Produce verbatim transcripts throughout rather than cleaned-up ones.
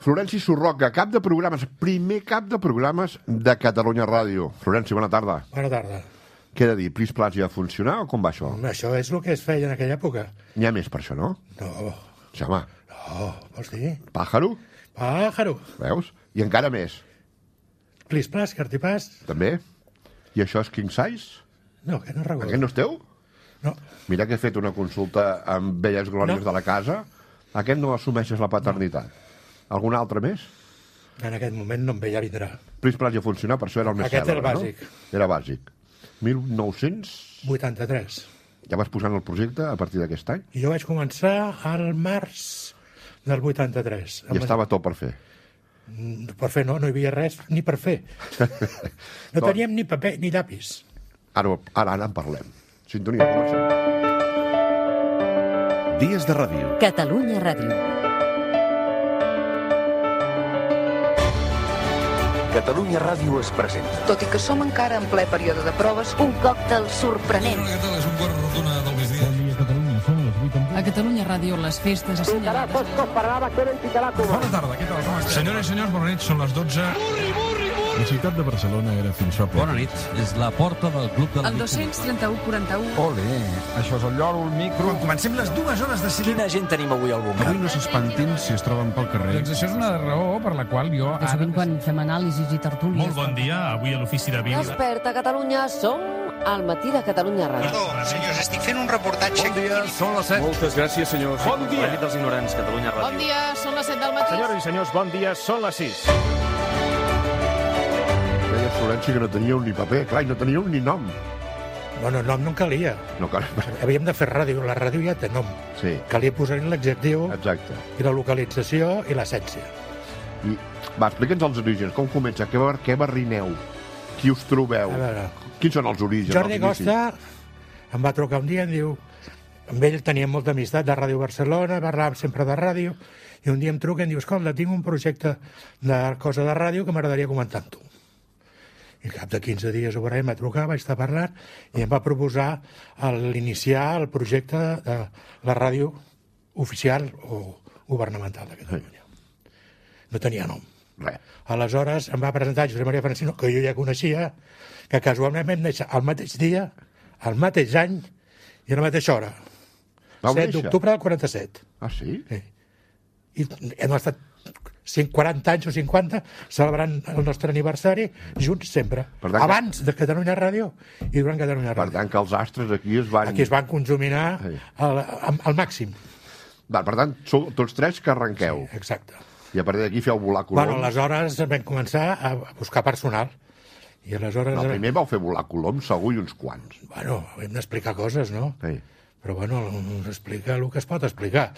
Florenci Surroca, cap de programes, primer cap de programes de Catalunya Ràdio. Florenci, bona tarda. Bona tarda. Què he de dir? Plis Plas ja funciona o com va això? Això és el que es feia en aquella època. N'hi ha més per això, no? No. Sí, home. No, vols dir? Pàjaro? Pàjaro. Veus? I encara més. Plis Plas, Cartipàs. També? I això és King Size? No, que no recordo. Aquest no és teu? No. Mira que he fet una consulta amb velles glòries No. de la casa. Aquest no assumeixes la paternitat. No. Algun altre més? En aquest moment no em ve, ja vindrà. Plis Plas ja funciona, per això era el més Aquest cèlebre, era bàsic. No? Era bàsic. mil nou-cents... vuitanta-tres. Ja vas posant el projecte a partir d'aquest any? I jo vaig començar al març del vuitanta-tres. I estava tot per fer. Per fer no, no hi havia res ni per fer. No teníem ni paper ni llapis. Ara, ara, ara en parlem. Sintonia, comencem. Dies de ràdio. Catalunya Ràdio. Catalunya Ràdio es presenta. Tot i que som encara en ple període de proves, Un còctel sorprenent. Què tal? És un quart rotuna del migdia. A Catalunya Ràdio, les festes assenyalades. Bona tarda, què tal? Com esteu? Senyores i senyors, bona nit, són les dotze. La ciutat de Barcelona era fins fa poc. Bona nit, és la porta del Club de la El dos-cents trenta-u quaranta-u. Ole, això és el lloro, el micro... Quan comencem les dues hores de cinema... Quina gent tenim avui al bomber? Avui no s'espantin si es troben pel carrer. Doncs això és una raó per la qual jo... De sovint quan fem anàlisis i tertúlies. Molt bon dia, avui a l'ofici de vídeo. Desperta Catalunya, som al matí de Catalunya Ràdio. Perdó, senyors, estic fent un reportatge... Bon dia, són les set. Moltes gràcies, senyors. Bon dia. La nit dels ignorants, Catalunya Ràdio. Bon dia, són les set del matí. Senyores i senyors, bon dia, són les sis. Deia Florenci que no teníeu ni paper, clar, i no teníeu ni nom. Bueno, nom no en calia. No cal... Havíem de fer ràdio. La ràdio ja té nom. Sí, Calia posar-hi l'adjectiu exacte. i la localització i l'essència. I, va, explica'ns els orígens, com comença, què, bar- què barrineu, qui us trobeu, A veure, quins són els orígens? Jordi els inicis? Costa em va trucar un dia i em diu... Amb ell teníem molta amistat de Ràdio Barcelona, parlàvem sempre de ràdio, i un dia em truca i em diu, escolta, tinc un projecte de cosa de ràdio que m'agradaria comentar amb tu. I al cap de quinze dies o per ahí em va trucar, vaig estar parlant, i em va proposar el- l'iniciar el projecte de la ràdio oficial o governamental de Catalunya. No tenia nom. Res. Aleshores em va presentar Josep Maria Francino, que jo ja coneixia, que casualment vam néixer el mateix dia, el mateix any i a la mateixa hora. Vau set néixer? d'octubre del quaranta-set. Ah, sí? Sí. I hem estat cent quaranta anys o cinquanta celebrant el nostre aniversari junts sempre. Per tant que- Abans de Catalunya Ràdio i durant Catalunya Per Ràdio. tant, que els astres aquí es van... Aquí es van conjuminar Sí. al, al, al màxim. Va, per tant, sou tots tres que arrenqueu. Exacte. I a partir d'aquí feu volar coloms. Bueno, aleshores vam començar a buscar personal. I aleshores... No, primer vau fer volar coloms, segur, i uns quants. Bueno, hem d'explicar coses, no? Sí. Però bueno, s'explica el que es pot explicar.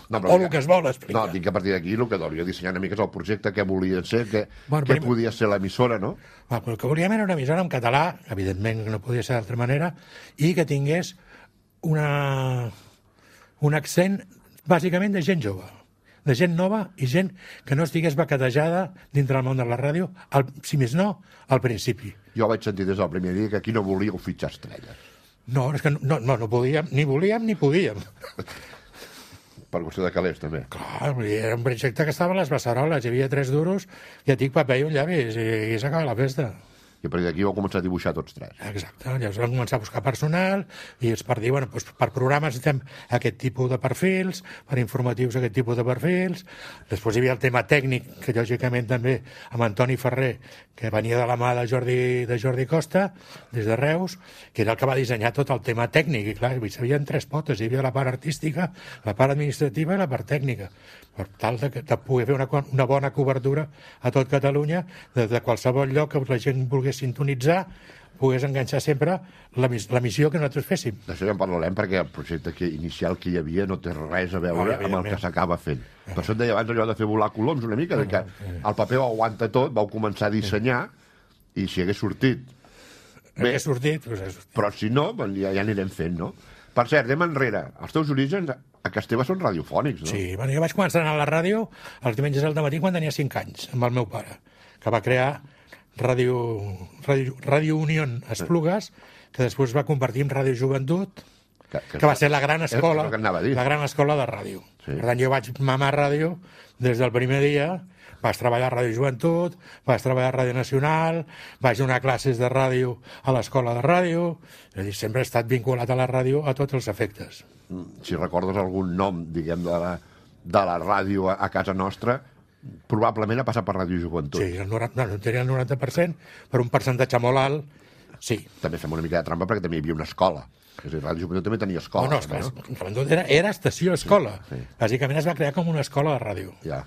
No, O el que es vol explicar. No, dic que a partir d'aquí el que deuria dissenyar una mica és el projecte, què volien ser, què, Bueno, què primer- podia ser l'emissora, no? Va, però el que volíem era una emissora en català, evidentment que no podia ser d'altra manera, i que tingués una, un accent bàsicament de gent jove, de gent nova i gent que no estigués baquetejada dintre del món de la ràdio, al, si més no, al principi. Jo vaig sentir des del primer dia que aquí no volíeu fitxar estrelles. No, és que no, no, no podíem, ni volíem ni podíem. Per qüestió de calés, també. Clar, era un projecte que estava a les beceroles, hi havia tres duros, i et dic paper i un llavis, i, i s'acaba la festa. I a partir d'aquí vau començar a dibuixar tots tres. Exacte, llavors vam començar a buscar personal i és per dir, bueno, doncs per programes necessitem aquest tipus de perfils, per informatius aquest tipus de perfils. Després hi havia el tema tècnic, que lògicament també amb Antoni Ferrer, que venia de la mà de Jordi, de Jordi Costa, des de Reus, que era el que va dissenyar tot el tema tècnic. I clar, hi havia tres potes, hi havia la part artística, la part administrativa i la part tècnica, per tal de, de poder fer una, una bona cobertura a tot Catalunya, de, de qualsevol lloc que la gent volgués sintonitzar, pogués enganxar sempre la, la missió que nosaltres féssim. D'això ja en parlarem, perquè el projecte que, inicial que hi havia no té res a veure No, amb el que s'acaba fent. Per això et deia abans allò de fer volar coloms una mica, de que el paper ho aguanta tot, vau començar a dissenyar, i si hagués sortit... Bé, hagués sortit, doncs ha sortit. Però si no, doncs ja, ja anirem fent, no? Per cert, anem enrere. Els teus orígens a casa teva són radiofònics, no? Sí, bueno, jo vaig començar a anar a la ràdio els diumenges al matí quan tenia cinc anys, amb el meu pare, que va crear Ràdio, Ràdio, Ràdio Unión Esplugues, que després va convertir en Ràdio Joventut, que, que, que va ser la gran escola, que anava a dir. la gran escola de ràdio. Sí. Sí. Per tant, jo vaig mamar ràdio des del primer dia. Vaig treballar a Ràdio Joventut, vaig treballar a Ràdio Nacional, vaig donar classes de ràdio a l'escola de ràdio, és a dir, sempre he estat vinculat a la ràdio a tots els efectes. Si recordes algun nom, diguem, de la, de la ràdio a, a casa nostra, probablement ha passat per Ràdio Joventut. Sí, el noranta, no, no tenia el noranta per cent, per un percentatge molt alt, sí. També fem una mica de trampa perquè també hi havia una escola. És a dir, Ràdio Joventut també tenia escola. No, no, esclar, no? Era, era estació-escola. Sí, sí. Bàsicament es va crear com una escola de ràdio. Ja.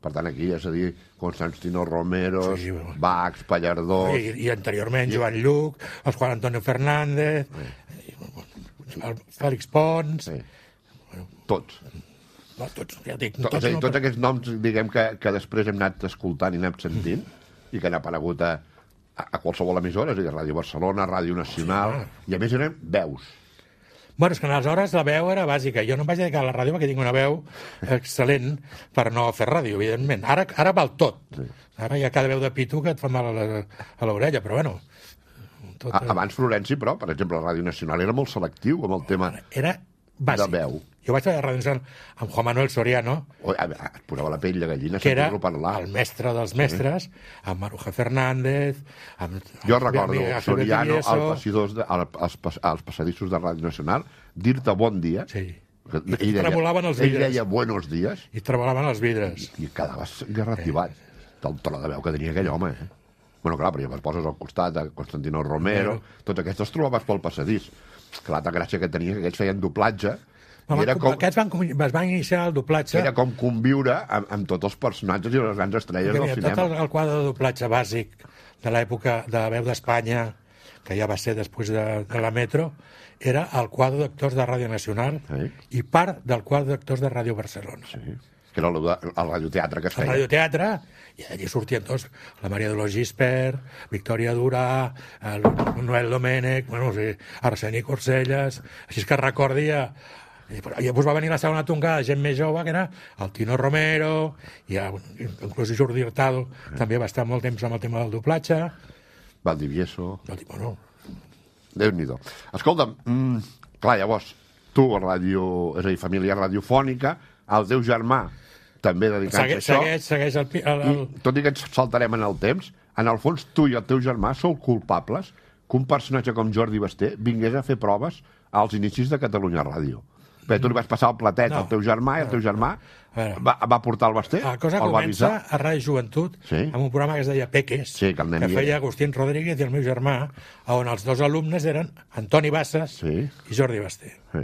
Per tant, aquí, és a dir, Constantino Romero, sí, bueno. Bax, Pallardós... I, i anteriorment, I... Joan Lluc, el Juan Antonio Fernández, sí. el Fèlix Pons... Sí. Bueno, tots. No, tots, ja dic... Tots, tots, no, tots aquests noms, diguem, que, que després hem anat escoltant i anem sentint, i que han aparegut a, a, a qualsevol emissora, és a dir, Ràdio Barcelona, Ràdio Nacional, sí, i a més eren veus. Bueno, és que aleshores la veu era bàsica. Jo no em vaig dedicar a la ràdio perquè tinc una veu excel·lent per no fer ràdio, evidentment. Ara, ara val tot. Sí. Ara hi ha cada veu de pito que et fa mal a l'orella, però bueno... Tot... Abans Florenci, però, per exemple, la Ràdio Nacional era molt selectiu amb el tema era bàsic. De veu. Jo vaig a la Ràdio Nacional amb Juan Manuel Soriano, oh, es posava la pell de gallina que era parlar. El mestre dels mestres, sí. Amb Maruja Fernández... Amb, jo recordo amiga, Soriano al passadors de, al, als, als passadissos de Ràdio Nacional dir-te bon dia. Sí. I, I tremolaven els vidres. Ell deia buenos días. I tremolaven els vidres. I, i quedaves garrativat sí. Del tro de veu que tenia aquell home. Eh? Bueno, clar, però ja es poses al costat de Constantino Romero, sí. Tots aquests els trobaves pel passadís. Que l'altra gràcia que tenia que aquests feien doblatge. I era com, aquests van, es van iniciar el doblatge. Era com conviure amb, amb tots els personatges i les grans estrelles del cinema. Tot el, el quadre de doblatge bàsic de l'època de Veu d'Espanya, que ja va ser després de, de la Metro, era el quadre d'actors de Ràdio Nacional sí. I part del quadre d'actors de Ràdio Barcelona. Sí. Que era el, el radioteatre que es feia. El radioteatre, i allí sortien tots, la Maria Dolors Gispert, Victòria Durà, el Noel Domènech, bueno, o sigui, Arseni Corselles, així que recordia... I llavors va venir la segona tongada de gent més jove, que era el Tino Romero, i inclús Jordi Hurtado, sí. També va estar molt temps amb el tema del doblatge. Valdivieso. Bueno. Déu-n'hi-do. Escolta'm, mm, clar, llavors, tu, a ràdio, és a dir, família radiofònica, el teu germà també dedicant-se a això. Segueix, segueix el, el, el... I, tot i que ens saltarem en el temps, en el fons tu i el teu germà sou culpables que un personatge com Jordi Basté vingués a fer proves als inicis de Catalunya Ràdio. Bé, tu li vas passar el platet no, al teu germà i el teu germà va, va portar el Basté? La cosa comença a Ràdio Joventut sí. Amb un programa que es deia Peques, sí, que, que feia Agustín Rodríguez i el meu germà, on els dos alumnes eren Antoni Bassas sí. I Jordi Basté. Sí.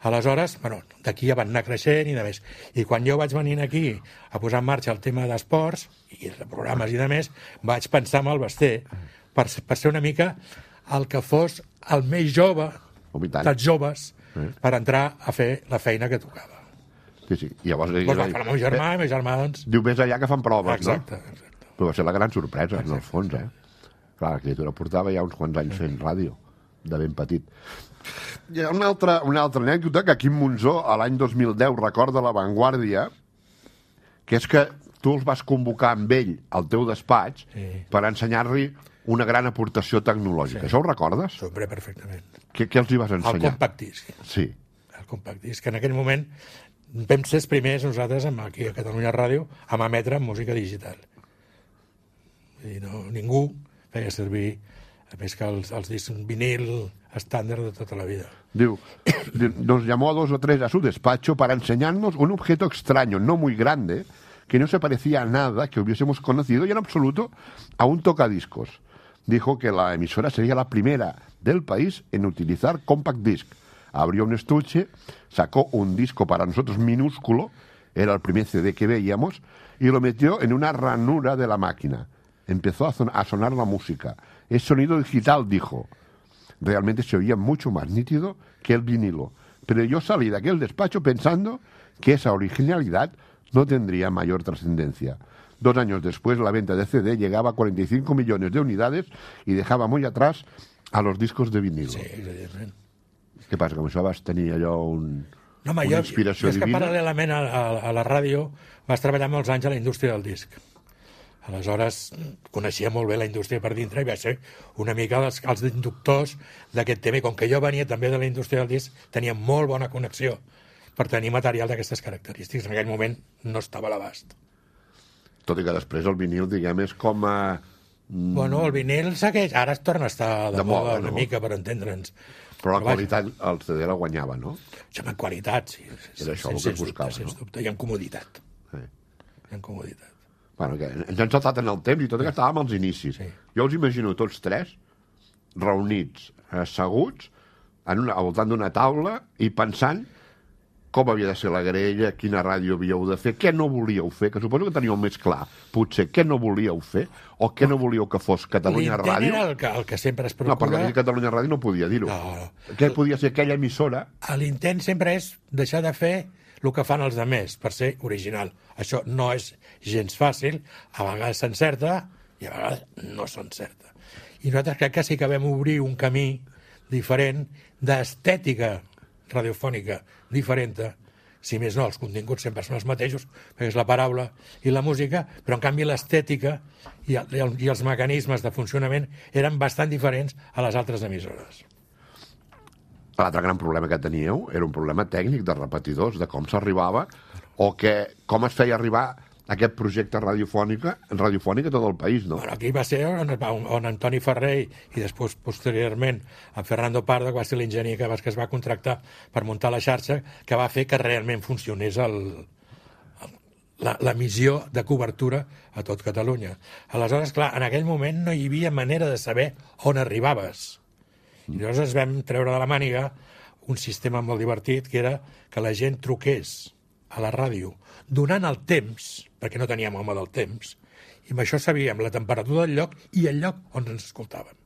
Aleshores, bueno, d'aquí ja van anar creixent i de més. I quan jo vaig venir aquí a posar en marxa el tema d'esports i de programes i de més, vaig pensar en el Basté per, per ser una mica el que fos el més jove dels joves sí. Per entrar a fer la feina que tocava. Sí, sí. I llavors... Doncs va fer el meu germà, el meu germà, doncs... Diu, més allà que fan proves, exacte, no? Exacte. Però va ser la gran sorpresa, exacte. En el fons, eh? Clar, la criatura portava ja uns quants anys fent ràdio, de ben petit. Hi ha una altra, una altra anècdota que Quim Monzó, a l'any dos mil deu, recorda a La Vanguardia, que és que tu els vas convocar amb ell al teu despatx sí. Per ensenyar-li una gran aportació tecnològica. Sí. Això ho recordes? Sempre, perfectament. Què, què els hi vas ensenyar? El compact disc. Sí. El compact disc. En aquell moment vam ser els primers nosaltres aquí a Catalunya Ràdio a emetre música digital. I no, ningú feia servir més que els, els discs vinil estàndard de tota la vida. Diu, nos llamó a dos o tres a su despacho para enseñarnos un objeto extraño, no muy grande, que no se parecía a nada que hubiésemos conocido y en absoluto a un tocadiscos. Dijo que la emisora sería la primera del país en utilizar compact disc. Abrió un estuche, sacó un disco para nosotros minúsculo, era el primer C D que veíamos, y lo metió en una ranura de la máquina. Empezó a, son- a sonar la música. Es sonido digital, dijo. Realmente se oía mucho más nítido que el vinilo. Pero yo salí de aquel despacho pensando que esa originalidad no tendría mayor trascendencia. Dos años después, la venta de C D llegaba a cuarenta y cinco millones de unidades y dejaba muy atrás a los discos de vinilo. Sí, evidentment. Què passa, com això vas tenir allò un, no, home, una jo, inspiració jo és que divina? paral·lelament a, a, a la ràdio vas treballar molts anys a la indústria del disc. Aleshores, coneixia molt bé la indústria per dintre i va ser una mica els, els inductors d'aquest tema. I com que jo venia també de la indústria del disc, tenia molt bona connexió. per tenir material d'aquestes característiques. En aquell moment no estava a l'abast. Tot i que després el vinil, diguem, és com a... Mm... Bueno, el vinil segueix... Ara es torna a estar de, de moda una no? mica, per entendre'ns. Però la Però qualitat, el C D la guanyava, no? Ja, en qualitat, sí. Era això el que es buscava, dubte, no? Sens dubte, i en comoditat. Sí. I en comoditat. Bueno, que ens hem saltat en el temps i tot i que estàvem als inicis. Sí. Jo us imagino tots tres reunits, asseguts, en una, al voltant d'una taula i pensant com havia de ser la grella, quina ràdio havíeu de fer, què no volíeu fer, que suposo que teníeu més clar, potser què no volíeu fer, o què no volíeu que fos Catalunya Ràdio. L'intent era el que, el que sempre es procura... No, per dir Catalunya Ràdio no podia dir-ho. No. Què podia ser aquella emissora? L'intent sempre és deixar de fer el que fan els altres, per ser original. Això no és gens fàcil, a vegades s'encerta i a vegades no s'encerta. I nosaltres crec que sí que vam obrir un camí diferent d'estètica radiofònica diferent, si més no, els continguts sempre són els mateixos, perquè és la paraula i la música, però en canvi l'estètica i, el, i els mecanismes de funcionament eren bastant diferents a les altres emissores. L'altre gran problema que teníeu era un problema tècnic de repetidors, de com s'arribava o que, com es feia arribar aquest projecte radiofònica, radiofònic a tot el país, no? Bueno, aquí va ser on, on Antoni Ferrer i després, posteriorment, en Fernando Pardo, que va ser l'enginyer que, que es va contractar per muntar la xarxa, que va fer que realment funcionés el, el, la, la missió de cobertura a tot Catalunya. Aleshores, clar, en aquell moment no hi havia manera de saber on arribaves. I llavors ens vam treure de la màniga un sistema molt divertit, que era que la gent truqués a la ràdio, donant el temps, perquè no teníem home del temps, i amb això sabíem la temperatura del lloc i el lloc on ens escoltàvem.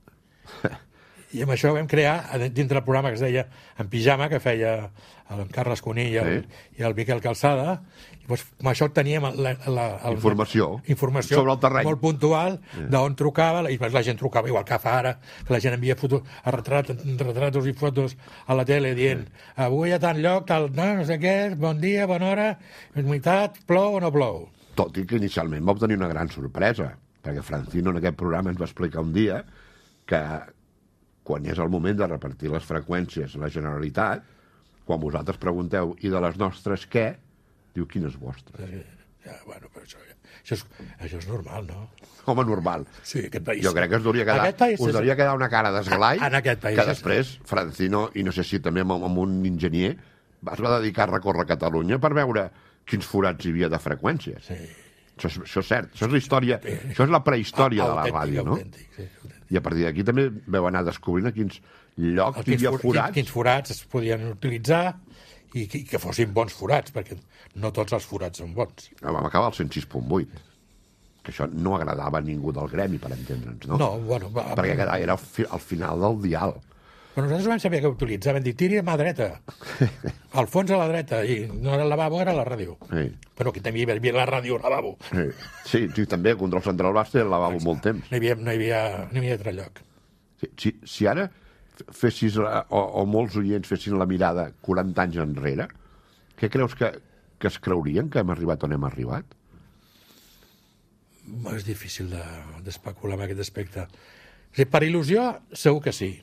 I amb això vam crear, dintre del programa que es deia En Pijama, que feia el Carles Cuní i el, sí. i el Miquel Calçada, i doncs, amb això teníem la, la, el, informació, informació sobre el terreny molt puntual sí. d'on trucava, i la gent trucava igual que fa ara, que la gent envia fotos, retrat, retratos i fotos a la tele dient, sí. avui a tant lloc, tal, no, no sé què, bon dia, bona hora, humitat, plou o no plou. Tot i que inicialment va obtenir una gran sorpresa, perquè Francino en aquest programa ens va explicar un dia que quan és el moment de repartir les freqüències a la Generalitat, quan vosaltres pregunteu i de les nostres què, diu quines vostres. Sí, ja, bueno, però això, això, és, això és normal, no? Home, normal. Sí, aquest país... Jo crec que es hauria quedar, us hauria quedar una cara d'esglai en aquest país que després Francino, i no sé si també amb, amb un enginyer, es va dedicar a recórrer Catalunya per veure quins forats hi havia de freqüències. Sí. Això, és, això és cert, això és la història, sí. Això és la prehistòria de la ràdio, no? Autèntic, sí, autèntic. I a partir d'aquí també veu anar descobrint a quins llocs hi havia forats. Quins forats es podien utilitzar i que, que fossin bons forats, perquè no tots els forats són bons. Vam acabar al cent sis punt vuit, que això no agradava a ningú del gremi, per entendre'ns, no? No, bueno... Va, perquè era al, fi, al final del dial. Però nosaltres vam saber que utilitzaven, dir, tiri a mà dreta, al fons a la dreta, i no era el lavabo, era la ràdio. Sí. Però aquí també hi havia la ràdio, el lavabo. Sí, sí, sí també, el control central va ser el lavabo Exacte. Molt temps. No hi havia, no hi havia, no hi havia altre lloc. Sí, si, si ara fessis, la, o, o molts oients fessin la mirada quaranta anys enrere, què creus que, que es creurien que hem arribat on hem arribat? És difícil d'especular de, en aquest aspecte. O sigui, per il·lusió, segur que sí.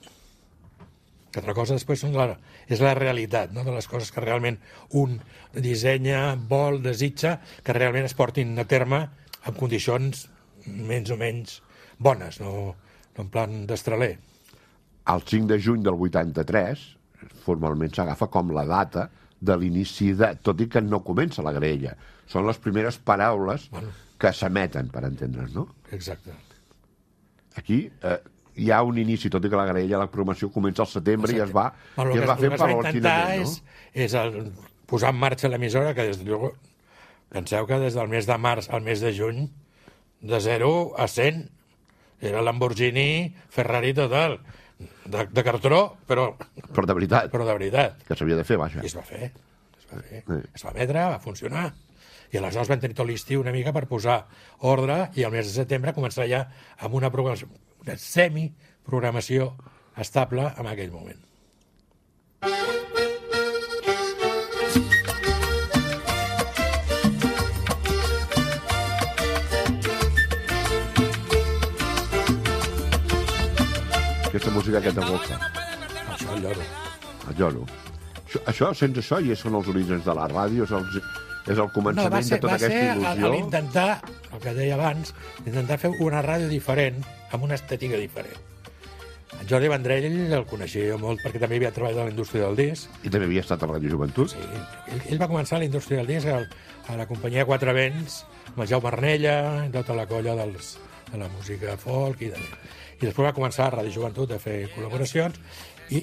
Que altra cosa després són la, és la realitat, no? De les coses que realment un dissenya, vol, desitja, que realment es portin a terme en condicions menys o menys bones, no, no en plan d'estraler. El cinc de juny del vuitanta-tres formalment s'agafa com la data de l'inici de... Tot i que no comença la graella. Són les primeres paraules bueno. que s'emeten, per entendre's, no? Exacte. Aquí... Eh, hi ha un inici, tot i que la graella, la programació comença al setembre i es va, bueno, i es va fent paulatinament, no? És, és el, posar en marxa l'emissora, que des de, penseu que des del mes de març al mes de juny, de zero a cent, era Lamborghini, Ferrari total, de, de cartró, però... Però de veritat. Però de veritat. Que s'havia de fer, vaja. I es va fer. Es va fer. Sí. Es va emetre, va funcionar. I aleshores vam tenir tot l'estiu una mica per posar ordre i al mes de setembre començar ja amb una programació, una semi-programació estable en aquell moment. Aquesta música que t'evoca. Això, el lloro. El lloro. Això, això, sense això, i són els orígens de la ràdio, és el, és el començament no, ser, de tota aquesta il·lusió. Va ser l'intentar, el que deia abans, intentar fer una ràdio diferent, amb una estètica diferent. En Jordi Vendrell el coneixia jo molt perquè també havia treballat a la indústria del disc. I també havia estat a Ràdio Joventut? Sí, ell, ell va començar a la indústria del disc a, a la companyia Quatre Vents, amb el Jaume Arnella, i tota la colla dels, de la música folk i de... I després va començar a Ràdio Joventut a fer col·laboracions i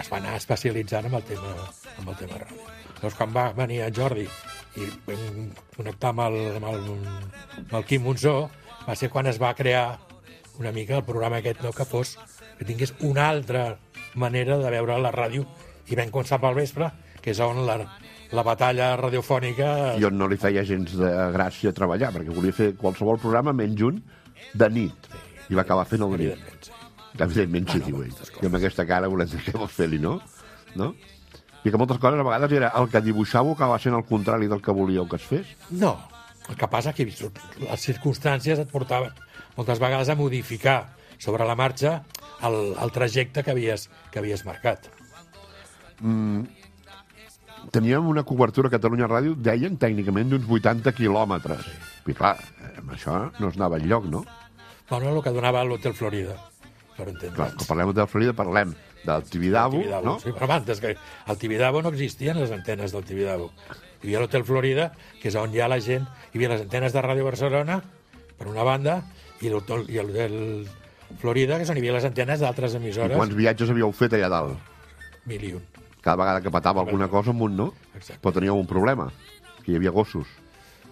es va anar especialitzant amb el tema, amb el tema ràdio. Llavors, quan va venir en Jordi i vam connectar amb el, amb, el, amb el Quim Monzó, va ser quan es va crear una mica el programa aquest, no, que fos, que tingués una altra manera de veure la ràdio, i vam començar pel vespre, que és on la, la batalla radiofònica... I on no li feia gens de gràcia treballar, perquè volia fer qualsevol programa menys un de nit. I va acabar fent el de nit. Evidentment, sí. Evidentment, sí, diu ell. I amb aquesta cara volem dir què vols fer-li, no? no? I que moltes coses a vegades era el que dibuixàveu acaba sent el contrari del que volíeu que es fes? No. El que passa que les circumstàncies et portaven moltes vegades a modificar sobre la marxa el, el trajecte que havies, que havies marcat. Mm, teníem una cobertura a Catalunya Ràdio, deien tècnicament d'uns vuitanta quilòmetres. Sí. I clar, amb això no es anava enlloc, no? Bueno, el que donava l'Hotel Florida, per entendre'ns. Clar, quan parlem del Florida parlem del Tibidabo, Tibidabo, no? Sí, però abans, que al Tibidabo no existien les antenes del Tibidabo. Hi havia l'Hotel Florida, que és on hi ha la gent, hi havia les antenes de Ràdio Barcelona, per una banda, i l'Hotel i l'Hotel Florida, que és on hi havia les antenes d'altres emissores. I quants viatges havíeu fet allà dalt? Mil i un. Cada vegada que patava alguna cosa amunt, no? Exacte. Però teníeu un problema, que hi havia gossos.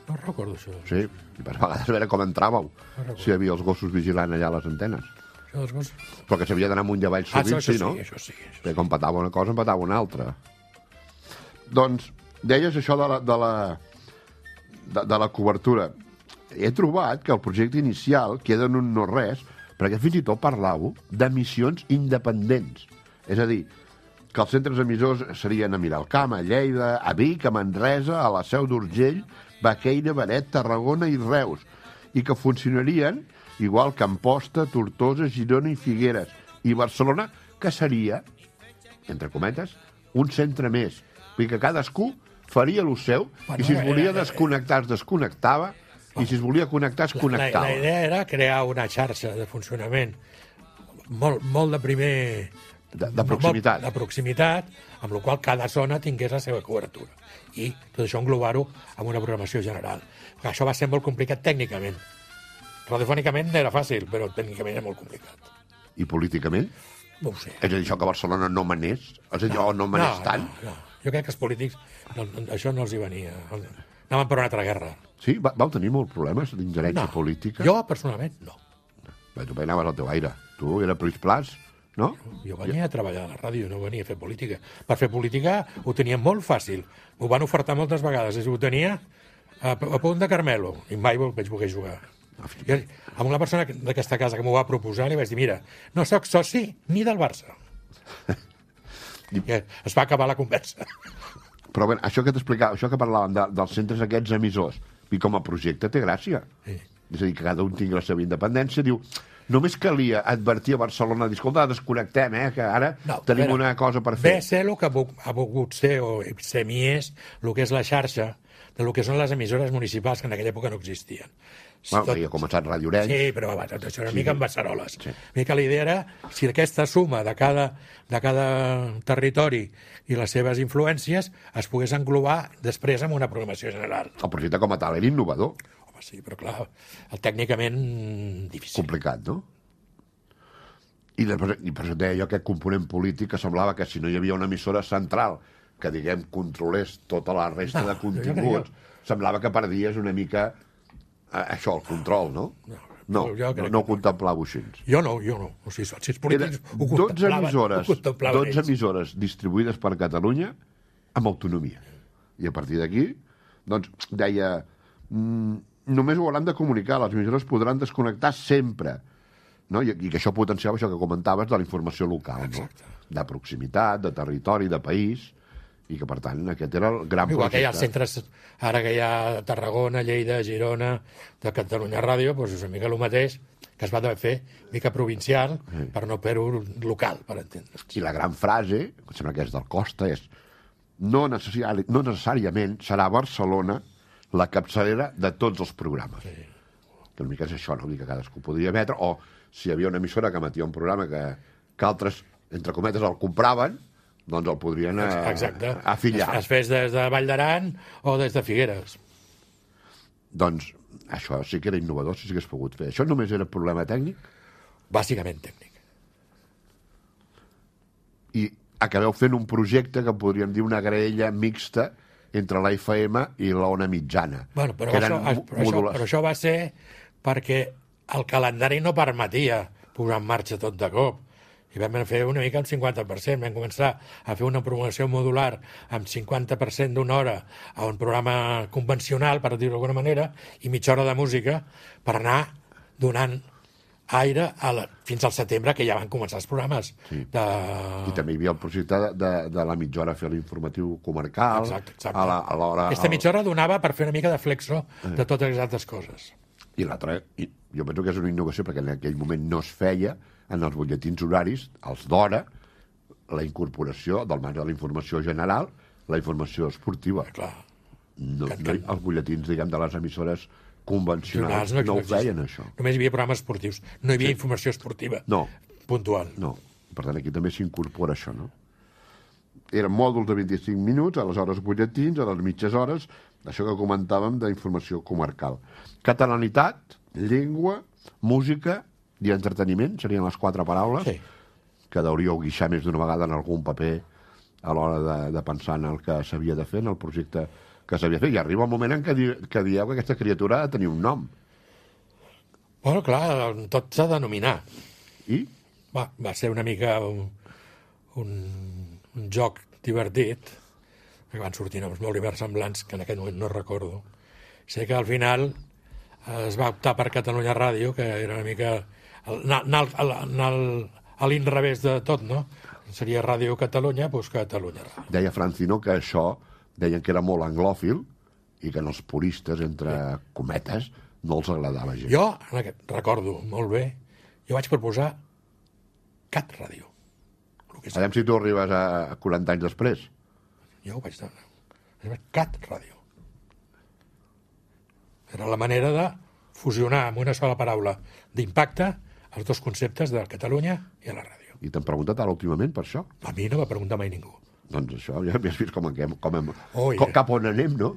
No recordo això. Sí, i per vegades a veure com entràveu, no si hi havia els gossos vigilant allà a les antenes. Això dels gossos... Però que s'havia d'anar amunt i avall sovint, ah, això, això sí, no? Sí, això sí, això sí. Perquè com patava una cosa, em patava una altra. Doncs, deies això de la, de la, de, de la cobertura. He trobat que el projecte inicial queda en un no-res, perquè fins i tot parlàveu d'emissions independents. És a dir, que els centres emissors serien a Miralcamp, a Lleida, a Vic, a Manresa, a la Seu d'Urgell, Baqueira, Beret, Tarragona i Reus, i que funcionarien igual que Amposta, Tortosa, Girona i Figueres, i Barcelona, que seria, entre cometes, un centre més. Vull dir que cadascú faria el seu, bueno, i si es volia era, desconnectar, es desconnectava, i si es volia connectar, es connectava. La, la idea era crear una xarxa de funcionament molt, molt de primer... De, de proximitat. De proximitat, amb la qual cada zona tingués la seva cobertura. I tot això englobar-ho amb una programació general. Perquè això va ser molt complicat tècnicament. Radiofònicament era fàcil, però tècnicament era molt complicat. I políticament? No ho sé. És a dir, això que Barcelona no manés? És a dir, no, no manés no, tant? No, no. Jo crec que els polítics, no, això no els hi venia. Anaven per una altra guerra. Sí? Va, vau tenir molts problemes d'ingerència no, política? Jo, personalment, no. Bé, tu anaves al teu aire. Tu era Pris Plas, no? Jo venia a treballar a la ràdio, no venia a fer política. Per fer política ho tenia molt fàcil. M'ho van ofertar moltes vegades. Ho tenia a, a punt de Carmelo, i mai vaig voler jugar. I amb una persona d'aquesta casa que m'ho va proposar, li vaig dir, mira, no sóc soci ni del Barça. I es va acabar la conversa. Però bé, això que t'explicava, això que parlàvem de, dels centres aquests emissors, i com a projecte té gràcia. Sí. És a dir, que cada un tingui la seva independència, diu... Només calia advertir a Barcelona, dir, escolta, desconnectem, eh, que ara no, tenim veure, una cosa per fer. Ve ser el que ha volgut ser, o semi-és, el que és la xarxa, de lo que són les emissores municipals, que en aquella època no existien. Bueno, tot... havia començat Ràdio Orenys. Sí, però va, tot això era una sí. mica amb Bassaroles. Sí. Una mica la idea era, si aquesta suma de cada, de cada territori i les seves influències es pogués englobar després amb una programació general. El projecte com a tal era innovador. Sí, però clar, el tècnicament difícil. Complicat, no? I, després, i per això deia jo aquest component polític que semblava que si no hi havia una emissora central que, diguem, controlés tota la resta no, de continguts, jo... semblava que perdies una mica eh, això, el control, no? No, no, no, no ho contemplàveu així. Jo no, jo no. O sigui, si els polítics ho dotze emissores, dotze emissores distribuïdes per Catalunya amb autonomia. I a partir d'aquí, doncs, deia... Mm, només ho hauran de comunicar, les emissores podran desconnectar sempre, no? I, i que això potenciava això que comentaves de la informació local, no? De proximitat, de territori, de país, i que per tant aquest era el gran Igual projecte. Que hi ha els centres, ara que hi ha Tarragona, Lleida, Girona, de Catalunya Ràdio, doncs és una mica el mateix que es va fer, mica provincial, sí. Per no fer-ho local, per entendre'ns. I la gran frase, que sembla que és del Costa, és no, necessari, no necessàriament serà Barcelona la capçalera de tots els programes. Sí. Que una mica és això, no? Que cadascú podria emetre, o si hi havia una emissora que emetia un programa que, que altres, entre cometes, el compraven, doncs el podrien a, afillar. Es, es fes des de Vall d'Aran o des de Figueres. Doncs això sí que era innovador, si s'hagués pogut fer. Això només era problema tècnic? Bàsicament tècnic. I acabeu fent un projecte que podríem dir una graella mixta entre la F M i la ona mitjana. Bueno, però, això, però, això, però això va ser perquè el calendari no permetia posar en marxa tot de cop. I vam fer una mica el cinquanta per cent. Vam començar a fer una programació modular amb cinquanta per cent d'una hora a un programa convencional, per dir-ho d'alguna manera, i mitja hora de música per anar donant aire a la, fins al setembre, que ja van començar els programes. Sí. De... I també hi havia el projecte de, de, de la mitja hora fer l'informatiu comarcal. Exacte, exacte. A la, a l'hora, Aquesta mitja hora donava per fer una mica de flexo eh. de totes les altres coses. I l'altra, jo penso que és una innovació, perquè en aquell moment no es feia en els butlletins horaris, els d'hora, la incorporació del marge de la informació general, la informació esportiva. Clar. No, no, els butlletins, diguem, de les emissores convencionals no, no ho feien, això. Només hi havia programes esportius. No hi havia sí. informació esportiva no. puntual. No. Per tant, aquí també s'incorpora això, no? Eren mòduls de vint-i-cinc minuts, a les hores butlletins, a les mitges hores, això que comentàvem d'informació comarcal. Catalanitat, llengua, música i entreteniment, serien les quatre paraules, sí. que hauríeu guixar més d'una vegada en algun paper a l'hora de, de pensar en el que s'havia de fer, en el projecte que s'havia fet, i arriba el moment en què, di que dieu que aquesta criatura ha de tenir un nom. Bueno, clar, tot s'ha de denominar. I? Va, va ser una mica un, un, un joc divertit, que van sortir noms molt inversemblants, que en aquest moment no recordo. Sé que al final es va optar per Catalunya Ràdio, que era una mica anar a l'inrevés de tot, no? Seria Ràdio Catalunya, doncs Catalunya Ràdio. Deia Francino que això deien que era molt anglòfil i que en els puristes, entre cometes, no els agradava gens. Jo, en aquest, recordo molt bé, jo vaig proposar Cat Ràdio. Aviam si tu arribes a quaranta anys després. Jo ho vaig dir. Cat Ràdio. Era la manera de fusionar amb una sola paraula d'impacte els dos conceptes de Catalunya i a la ràdio. I t'han preguntat ara últimament per això? A mi no va preguntar mai ningú. Doncs això, ja has vist com, com hem, oh, yeah. cap on anem, no?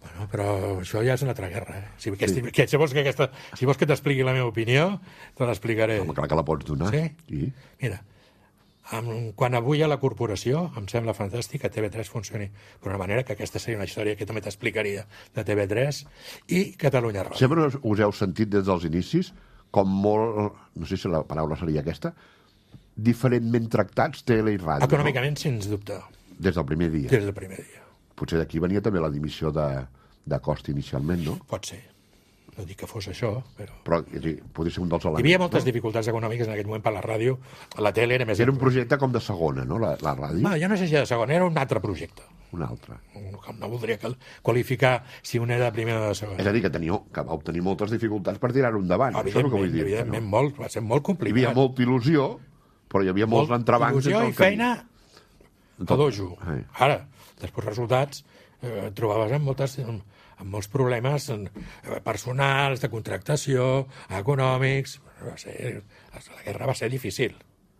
Bueno, però això ja és una altra guerra, eh? Si, que, sí. que, si vols que, aquesta, si vols que t'expliqui la meva opinió, te l'explicaré. Home, clar que la pots donar. Sí? I? Mira, amb, quan avui a la corporació, em sembla fantàstic que T V tres funcioni d'una manera, que aquesta seria una història que també t'explicaria de T V tres, i Catalunya Ràdio. Sempre us heu sentit des dels inicis com molt, no sé si la paraula seria aquesta, diferentment tractats, tele i ràdio. Econòmicament, no? Sens dubte. Des del primer dia. Des del primer dia. Potser d'aquí venia també la dimissió de, de cost inicialment, no? Pot ser. No dic que fos això, però... Però dir, podria ser un dels elements. Hi havia moltes no? dificultats econòmiques en aquell moment per la ràdio. La tele era més... Era un projecte com de segona, no?, la, la ràdio. No, jo no sé si de segona, era un altre projecte. Un altre. No, no voldria qualificar si un era de primera o de segona. És a dir, que, teniu, que vau tenir moltes dificultats per tirar-ho endavant. Això és el que vull dir. Evidentment, no? molt, va ser molt complicat. Hi havia molta il·lusió, però hi havia molts Molt entrebancs. Il·lusió i feina a dojo. Ai. Ara, després resultats, eh, trobaves amb, moltes, amb, amb molts problemes personals, de contractació, econòmics. Va ser, la guerra va ser difícil.